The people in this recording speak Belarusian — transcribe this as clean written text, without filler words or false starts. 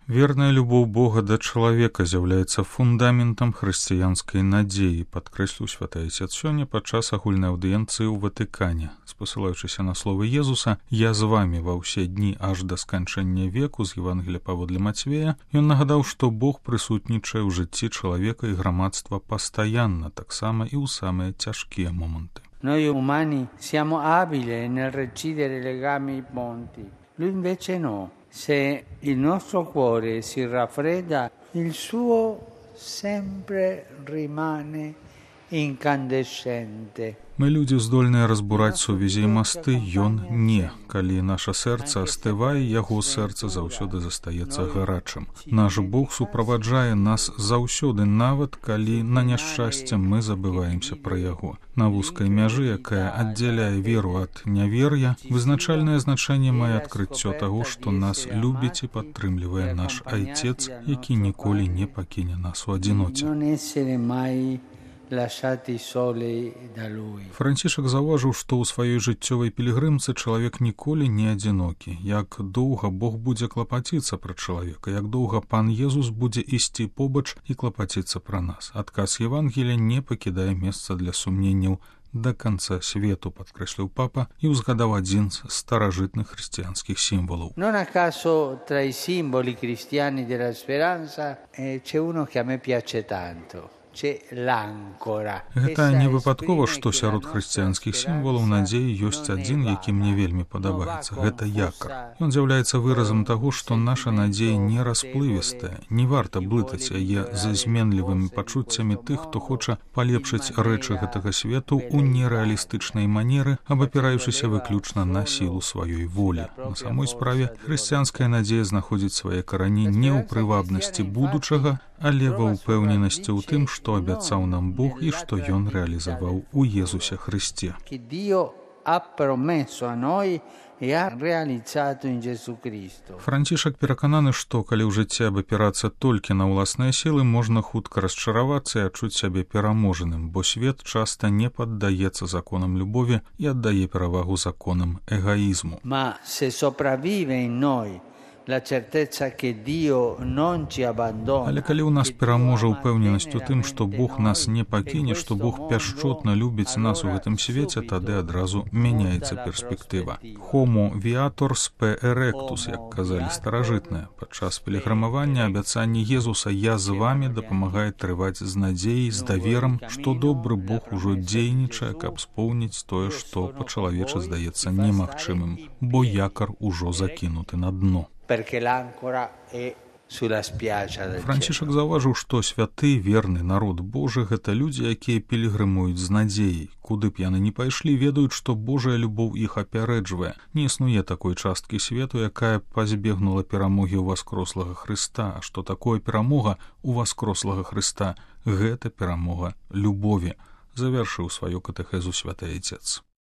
Верная любоў Бога да чалавека з'яўляецца фундаментам хрысціянскай надзеі, падкрэсліў святы Айцец сёння падчас агульнай аўдыенцыі ў Ватыкане. Спасылаючыся на словы Езуса «Я з вамі ва ўсе дні аж да сканчэння веку» з Евангелія паводле Мацвея, ён нагадаў, што Бог прысутнічае ў жыцці чалавека і грамадства пастаянна, таксама і ў самыя цяжкія моманты. Noi umani siamo abili nel recidere legami ponti. Lui invece no. Se il nostro cuore si raffredda, il suo sempre rimane incandescente. Мы людзі здольныя разбураць сувязі і масты, ён не. Калі наша сэрца астывае, яго сэрца заўсёды застаецца гарачым. Наш Бог суправаджае нас заўсёды, нават калі на няшчасце мы забываемся пра яго. На вузкай мяжы, якая аддзяляе веру ад нявер'я, вызначальнае значэнне мае адкрыццё таго, што нас любіць і падтрымлівае наш Айцец, які ніколі не пакіне нас у адзіноце. Францішак заўважыў, што ў сваёй жыццёвай пілігрымцы чалавек ніколі не адзінокі. Як доўга Бог будзе клапаціцца пра чалавека, як доўга Пан Езус будзе ісці побач і клапаціцца пра нас. Адказ Евангелія не пакідае месца для сумненняў да канца свету, падкрэсліў папа і ўзгадаў адзін з старажытных хрысціянскіх сімвалаў. Non a caso tra i simboli cristiani della speranza c'è uno che a me piace tanto. Гэта не выпадкова, што сярод хрысціянскіх сімвалаў надзеі ёсць адзін, які мне вельмі падабаецца. Гэта якар. Ён з'яўляецца выразам таго, што наша надзея не расплывістая. Не варта блытаць яе з зменлівымі пачуццямі тых, хто хоча палепшыць рэчы гэтага свету ў нерэалістычнай манеры, абапіраючыся выключна на сілу сваёй волі. На самой справе хрысціянская надзея знаходзіць свае карані не ў прывабнасці будучага, але ва ўпэўненасці ў тым, што абяцаў нам Бог і што ён рэалізаваў у Езусе Хрысце. Францішак перакананы, што калі ў жыцці абапірацца толькі на ўласныя сілы, можна хутка расчаравацца і адчуць сябе пераможаным, бо свет часта не паддаецца законам любові і аддае перавагу законам эгаізму. Але калі ў нас пераможа ўпэўненасць у тым, што Бог нас не пакіне, што Бог пяшчотна любіць нас у гэтым свеце, тады адразу мяняецца перспектыва. Homo viator spe erectus, як казалі старажытныя. Падчас пілігрымавання абяцанне Езуса «Я з вамі» дапамагае трываць з надзеяй, з даверам, што добры Бог ужо дзейнічае, каб споўніць тое, што па-чалавечы здаецца немагчымым, бо якар ужо закінуты на дно. Францішак заўважыў, што святы, верны народ Божы — гэта людзі, якія пілігрымуюць з надзеяй. Куды б яны ні пайшлі, ведаюць, што Божая любоў іх апярэджвае. Не існуе такой часткі свету, якая пазбегнула перамогі ў васкрослага Хрыста. А што такое перамога ў васкрослага Хрыста? Гэта перамога любові, завяршыў сваю катэхезу святы Айцец.